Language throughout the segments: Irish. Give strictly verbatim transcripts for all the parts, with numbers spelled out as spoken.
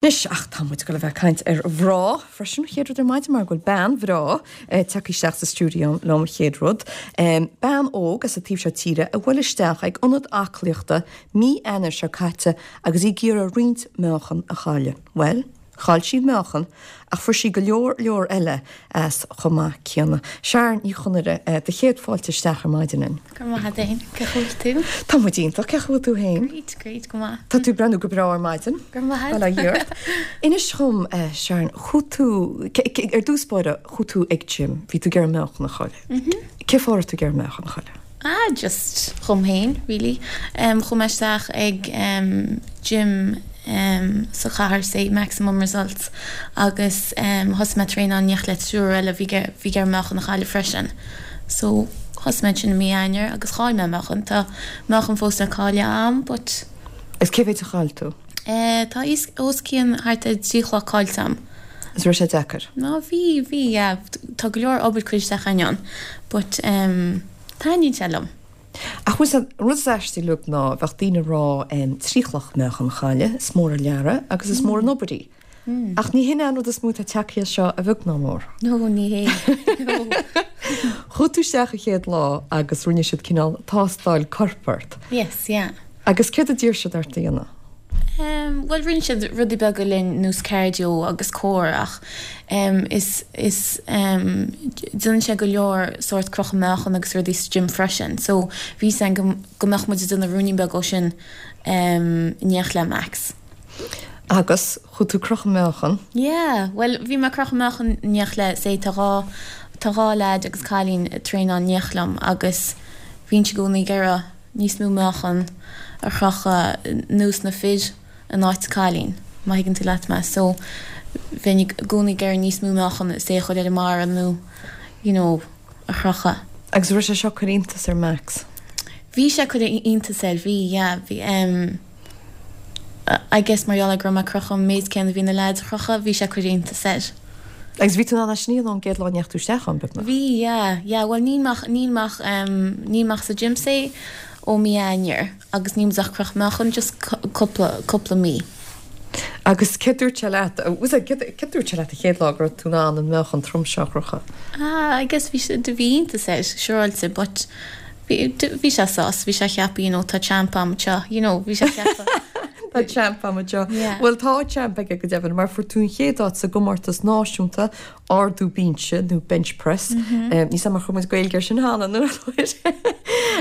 Anois ach tá muid ag dul a bheith ag caint ar mhná freisin chéad rud ar maidin mar go bhfuil bean bhreá tagtha isteach sa stiúideo liom chéad rud. Bean óg as an taobh seo tíre a bhuail isteach ag ionad aclaíochta mí Eanáir seo caite agus í ag iarraidh roinnt meáchan a chailleadh. Bhuel, chaill sí meáchan ach fuair sí go leor leor eile as chomh maith céanna. Sharon Ní Chonaire, do chéad fáilte isteach ar maidin linn. Go raibh maith agat féin, cén chaoi a bhfuil tú? Tá muid iontach, cén chaoi a bhfuil tú féin? Great, great, go maith. Tá tú ag breathnú go breá ar maidin. Go raibh maith agat. Bail ó Dhia ort. Inis dhom, Sharon, chuaigh tú, ar dtús báire, chuaigh tú ag gym, bhí tú ag iarraidh meáchan a chailleadh. Cén fáth a raibh tú ag iarraidh meáchan a chailleadh? Ah, just dhom féin, really. Chuaigh mé isteach ag gym sa chathair, say, Maximum Results, agus thosaigh mé traenáil in éineacht le triúr eile a bhí ag iarraidh meáchan a chailleadh freisin. So, thosaigh mé ansin i mí Eanáir agus chaill mé meáchan. Tá meáchan fós le cailleadh a'm, but. Agus cé mhéid a chaill tú? Tá os cionn thart ar trí chloch caillte a'm. Is raibh sé deacair? No, bhí, bhí, yeah. Tá go leor obair curtha isteach ann, but taitníonn sé liom. Ach bhfuil an rud is aistí uilig ná bheadh daoine ag rá trí chloch meáchan a chailleadh, is mór an lear é agus is mór an obair í. Ach ní hin é an rud is mó atá tagtha as seo a bheag ná mór. No, ní hé. No. Chuaigh tú isteach an chéad lá agus rinne siad cineál tástáil coirp ort. Yes, yeah. Agus céard a d'iarr siad ort a dhéanamh? Bhuel, rinne siad rudaí beaga linn nós cardio agus core ach is, is, déanann sé go leor sórt crochadh meáchan agus rudaí sa gym freisin so bhí fhios againn go, go mbeadh muid ag déanamh ruainnín beag ó sin in éineacht le Max. Agus chuaigh tú crochadh meáchan? Yeah, bhuel bhí mé ag crochadh meáchan in éineacht le, say tá dhá, tá dhá leaid agus cailín ag traenáil in éineacht liom agus bhínnse i gcónaí ag iarraidh níos mó meáchan a chrochadh nós na fir in áit cailín, má thuigeann tú leat mé. So, bheinn i gcónaí ag iarraidh níos mó meáchan is é a chur ar an mbarra nó you know a chrochadh. Agus raibh sé seo ag cur iontas ar Max? Bhí sé ag cur iontas air, bhí, yeah, bhí em I guess mar gheall ar go raibh mé ag crochadh an méid céanna a bhí na leaids a chrochadh, bhí sé ag cur iontas air. Agus bhí tú in ann é sin a dhéanamh ón gcéad lá a ndeachaigh tú isteach ann, beagnach? Bhí, yeah, yeah, bhuel níl mé ach, níl mé ach, em, níl mé ach sa gym say ó mí Eanáir agus níl muid ach ag crochadh meáchan just cúpla, cúpla mí. Agus céard dúirt sé leat, was it, céard, céard dúirt sé leat an chéad lá go raibh tú in ann an meáchan trom seo a chrochadh? Ah, I guess bhí sé, bhí iontas air, siúráilte, but bhí, bhí sé sásta, bhí sé ag ceapadh, you know, tá champ a'm anseo, you know, bhí sé ag ceapadh. Tá champ a'm anseo. Bhuel tá champ aige go deimhin mar fuair tú an chéad áit sa gcomórtas náisiúnta ardú binse nó bench press. Níl 'fhios a'm ar chuir muid Gaeilge air sin cheana nó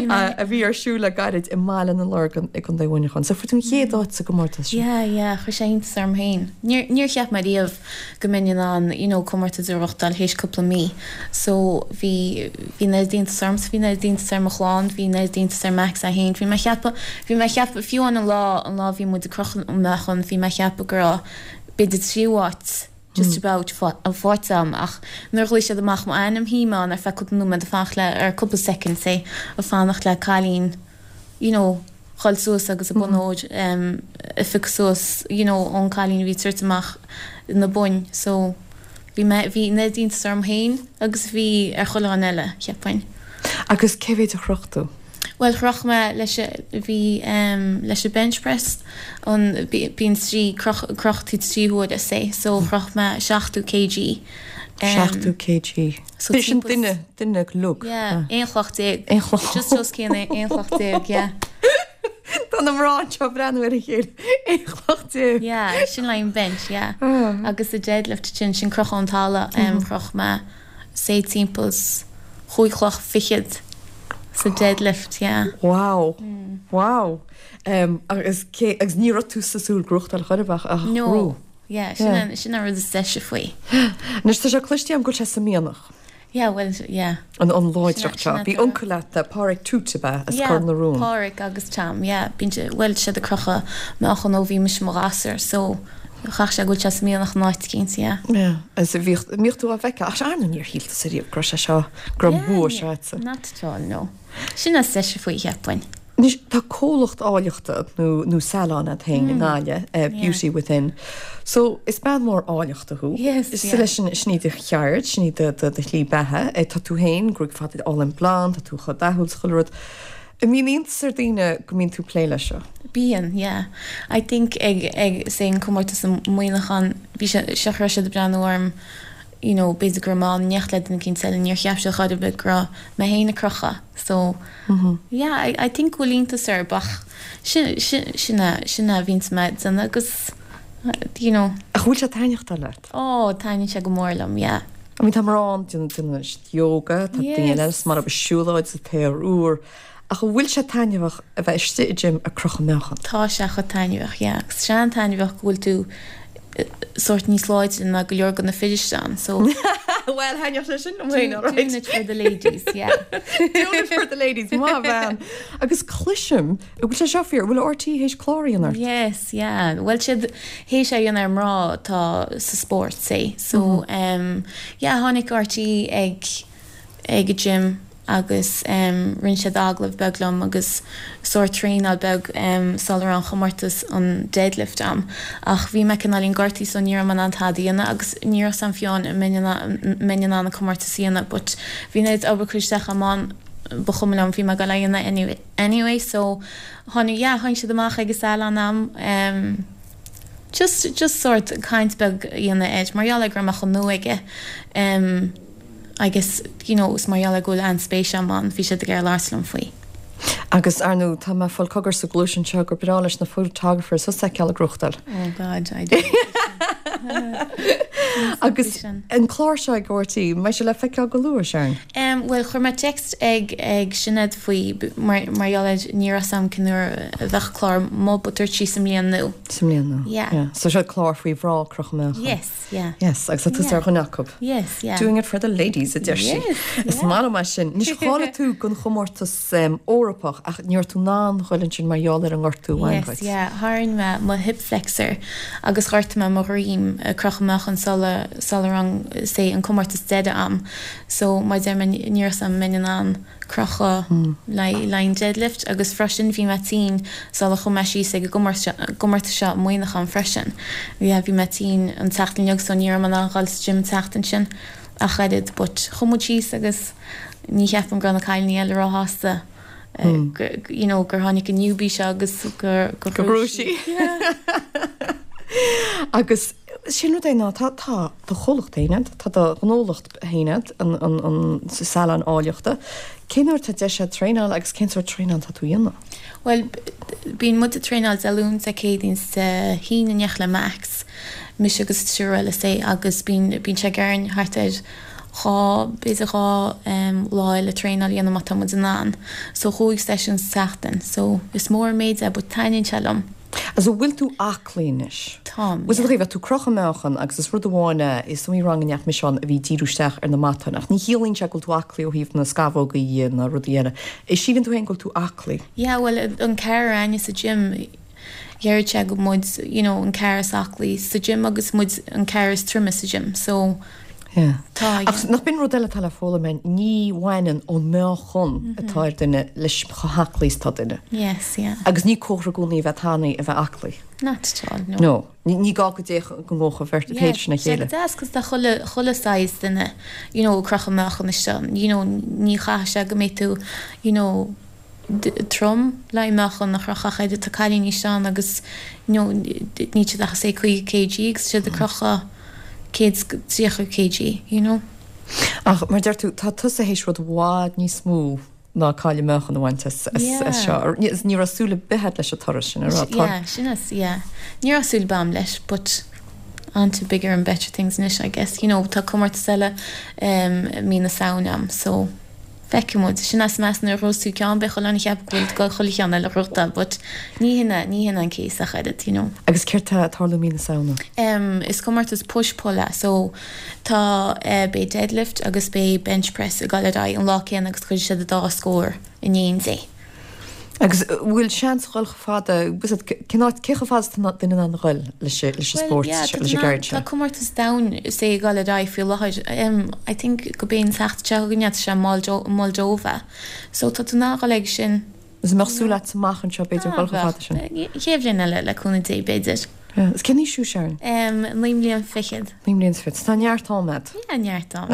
a bhí ar siúl le gairid i mBaile na Lorgan i gContae Mhuineacháin. So fuair tú an chéad áit sa gcomórtas sin. Yeah, yeah, chuir sé iontas orm féin. Níor, níor cheap mé riamh go mbeinn in ann you know comórtas a ghnóthachtáil théis cúpla mí. So bhí, bhí an oiread iontas ormsa, bhí an oiread iontas ar mo chlann, bhí an oiread iontas ar Max é féin. Bhí mé ag ceapadh, bhí mé ag ceapadh, fiú amháin an lá, an lá a bhí muid ag crochadh an meáchan, bhí mé ag ceapadh go raibh b'fhéidir tríú háit just about faighte agam ach nuair a ghlaoigh siad amach m'ainm shuigh mé ann ar feadh cúpla nóiméad ag fanacht le, ar cúpla soicind say, ag fanacht le cailín you know dhul suas agus an bonn óir a phiocadh suas you know ón cailín a bhí ag tabhairt amach na boinn so bhí mé, bhí an oiread iontas orm féin agus a bhí ar chuile dhuine eile, cheapfainn. Agus cé mhéid a chroch tú? Bhuel chroch mé leis a, bhí leis an bench press an, bíonn trí, croch, croch tú trí huaire say so chroch mé seachtó kg. Seachtó kg. So sin duine, duine uilig. Yeah, aon chloch déag. Aon chloch. Just os cionn aon chloch déag, yeah. Tá na mná anseo ag breathnú ar a chéile. Aon chloch déag. Yeah, sin le an bench, yeah. Agus sa deadlift sin, sin crochadh ón talamh, chroch mé say timpeall chúig chloch fichead sa deadlift, yeah. Wow. Wow. Agus cé, agus ní raibh tú ag súil gnóthachtáil chor ar bith ach No. Yeah, sin an, sin an rud is deise faoi. Anois tá sé cloiste agam go bhfuil sé sa mhianach. Yeah, bhuel, yeah. An, an láidreacht seo. Bhí uncail leat, Páraic Toots ab ea, as Cor na Rón. Yeah, Páraic agus Tom, yeah. Bíonn sé, bhuel, siad ag crochadh meáchan ó bhí mise i mo ghasúr, so chaithfeadh sé go bhfuil sé sa mhianach in áit eicínt, yeah. Yeah, agus bhíodh, mbíodh tú á bhfeiceáil, ach ar ndóigh níor shíl tusa riamh go raibh sé seo, go raibh an bua seo agatsa. Not at all, no. Sin is deise faoi, cheapfainn. Anois, tá comhlacht áilleachta nó nó salon agat féin i nGaillimh, Beauty Within. So, is bean mhór áilleachta thú. Yes, yeah. Leis an, sin í do cheird, sin í do do do shlí beatha. Tá tú féin, gruaig fada álainn blonde, tá tú chomh dathúil is chuile rud. An mbíonn iontas ar daoine go mbíonn tú plé leis seo? Bíonn, yeah. I think ag ag say an comórtas i Muineachán bhí sé seo raibh siad ag breathnú orm you know b'fhéidir go raibh mé in éineacht le duine éicint eile níor cheap siad chor ar bith go raibh mé féin ag crochadh so yeah I I think go bhfuil iontas orthu ach sin sin sin a sin a bhíonns mé ag déanamh agus you know. Ach bhfuil sé taitneamhach leat? Oh taitníonn sé go mór liom, yeah. I mean tá mná déanann siad yoga, tá daoine eile is maith leo siúlóid sa t-aer úr, ach an bhfuil sé taitneamhach a bheith istigh i gym ag crochadh meáchan? Tá sé chomh taitneamhach, yeah. Agus sé an-taitneamhach go bhfuil tú sórt níos láidre ná go leor de na fir istigh ann, so. Well, thaitneodh sé sin liom féin, alright. Doing it for the ladies, yeah. Doing it for the ladies, maith bhean. Agus cloisim, an bhfuil sé seo fíor, an bhfuil RTÉ théis clár a dhéanamh ort? Yes, yeah. Bhuel siad théis é a dhéanamh ar mná atá sa spórt, say. So, um, yeah, tháinig RTÉ ag ag an gym agus rinne siad agallamh beag liom agus sórt traenáil beag sula raibh an chomórtas an deadlift a'm ach bhí mé cineáilín gortaithe so ní raibh mé in ann tada a dhéanamh agus ní raibh 's a'm fiú an mbeinn in ann an comórtas a dhéanamh but bhí an oiread obair curtha isteach a'm ann ba chuma liom bhí mé ag dul a dhéanamh anyway anyway so tháinig yeah tháinig siad amach ag an salon a'm just just sórt caint beag a dhéanamh air mar gheall ar go raibh mé chomh nua aige agus you know is mar gheall ar go bhfuil an-spéis agam ann bhí siad ag iarraidh labhairt liom faoi. Agus ar ndóigh tá mé ag fáil cogar sa ghluais anseo gur breá leis na photographers thusa a fheiceáil ag gnóthachtáil. Oh God, I do. Agus an clár seo ag RTÉ, mbeidh sé le feiceáil go luath, Sharon? Um, Bhuel chuir mé text ag ag Sinéad faoi mar mar gheall ar ní raibh 's a'm cén uair a bheadh clár amuigh but dúirt sí sa mbliain nua. Sa mbliain nua. Yeah. Yeah. So seo clár faoi mhná ag crochadh meáchan. Yes, yeah. Yes, agus tá tusa ar dhuine acu. Yes, yeah. Doing it for the ladies, a deir sí. Yes, Is maith liom é sin. Anois cháiligh tú don chomórtas um, Eorpach ach ní raibh tú in ann dhul ansin mar gheall ar an ngortú a bhain Yes, dhuit. yeah. Tharraing mé mo hip flexor agus ghortaigh mé mo dhroim ag crochadh meáchan sula sula raibh say an comórtas deiridh a'm. So mar deir mé ní raibh 's a'm mbeinn in ann crochadh le le an deadlift agus freisin bhí mé tinn sula chuaigh mé síos ag an gcomórtas seo i Muineachán freisin. Yeah, bhí mé tinn an tseachtain uilig so ní raibh mé in ann dhul sa gym an tseachtain sin ach oiread, but chuaigh muid síos agus ní cheapaim go raibh na cailíní eile róshásta you know, gur tháinig an newbie seo agus gur gur Go raibh sí. Agus sin rud é ná tá tá do chomhlacht féin agat, tá do ghnólacht féin agat an, an, an salon áilleachta. Cén uair tá deis agat traenáil agus cén sórt traenáil tá tú a dhéanamh? Well, bíonn muid ag traenáil Dé Luain Dé Céadaoin is Dé hAoine in éineacht le Max, mise agus triúr eile say agus bíonn bíonn sé againn thart ar dhá b'fhéidir dhá um, lá eile traenáil a dhéanamh má tá muid in ann. So chúig session sa tseachtain, so is mór an méid é, but taitníonn sé liom. Agus an bhfuil tú aclaí anois? Táim, Bhfuil yeah. tú bheith tú crochadh meáchan agus is rud amháin é is iomaí rang a ndeachaigh mise ann a bhí díriú isteach ar na matáin ach ní chiallaíonn sé go bhfuil tú aclaí ó thaobh na scamhógaí na rudaí eile. Is síleann tú féin go bhfuil tú aclaí? Yeah, well an ceathrar againne sa gym deireann sé go muid you know, an ceathrar is aclaí sa gym agus muid an ceathrar is troime sa gym, so Yeah. tá Ach yeah. nach b'in rud eile atá le foghlaim ní bhaineann an meáchan atá ar duine leis chomh haclaí is atá duine. Yes, yeah. Agus ní comhartha i gcónaí a bheith tanaí a bheith aclaí. Not at all, no. No, ní ní gá go dtéadh go ngócha bheirt Yeah, péidir sin a sé chéile. deas cos tá chuile chuile size duine you know, crochadh meáchan isteach you know, ní chaithfidh sé go mbeidh tú you know, d- trom le meáchan a chrochadh idir tá cailíní ann agus you know, ní siad ach sé caoga kg agus siad ag crochadh céad tríocha kg, you know. Ach mar deir tú tá tusa théis rud i bhfad níos mó ná cailleadh meáchan a bhaint as as- Yeah. as seo. Ní ní raibh súil ar bith agat leis an toradh sin ar rá. Yeah, sin is, yeah. Ní raibh súil agam leis, but on to bigger and better things anois, I guess. You know, tá comórtas eile um, mí na Samhna a'm, so feicfidh muid. Sin as meas nuair a ghnóthós tú ceann beidh chuile dhuine ag ceapadh go bhfuil go chuile cheann eile gnóthachtáil, but ní hina ní hina an case ach oiread, you know. Agus céard tá ag tarlú mí na Samhna. Um, is comórtas push-pull é, so tá uh, beidh deadlift agus beidh bench press ag dul ar aghaidh an lá céanna agus cuirfidh siad an dá scór in éindí. Agus uh, bhfuil seans dhul chomh fada cén áit cé chomh fada is atá duine in ann dhul leis leis an spórt yeah, leis an gceird Tá seo. comórtas domhanda sé ag dul ar aghaidh faoi láthair. Um, I think go b'é an tseachtain seo chugainn sé Moldo Moldova. So tá tú ná dhul ag sin Is mbeadh súil agat amach anseo b'fhéidir dhul chomh fada sin. Chéad bhliain eile le cúnamh Dé b'fhéidir. Yeah. Is cén aois thú Sharon? Um, naoi mbliana fichead. Naoi mbliana is fiche. Tá neart am agat. Yeah, neart am.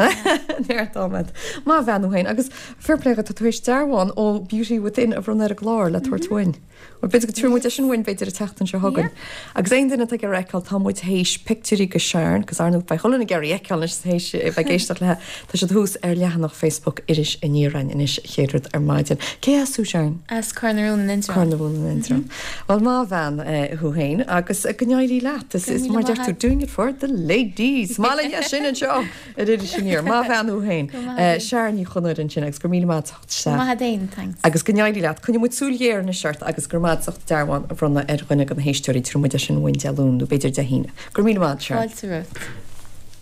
Neart am agat. Maith a bhean thú féin agus fair play tá tú théis dearbhán ó Beauty Within a bhronnadh ar an gclár le tabhairt uainn. Well b'fhéidir go dtabharfaidh muid é sin uainn b'fhéidir an tseachtain seo chugainn. Agus aon duine atá ag iarraidh a fheiceáil tá muid théis pictiúirí de Sharon, agus ar ndóigh beidh chuile dhuine ag iarraidh í a fheiceáil anois théis bheith ag éisteacht léi. Tá siad thuas ar leathanach Facebook Iris Aniar anois chéad rud ar maidin. Cé as thú Sharon? As Cor na Rún in Indreabhán. Cor na Rún in Indreabhán. Well maith a bhean thú féin agus go n-éirí leat. Is is mar deir tú doing it for the ladies. Maith linn é sin anseo ar Iris Aniar. Maith a bhean thú féin. Sharon Ní Chonaire ansin agus go míle maith isteach. Maith féin, thanks. Agus go n-éirí leat. Coinneoidh muid súil ghéar anois ort agus go raibh maith agat dearbhán a bhronnadh ar dhuine de na héisteoirí tabharfaidh muid é sin uainn Dé Luain nó b'fhéidir Dé hAoine. Go míle maith Sharon. Fáilte romhat.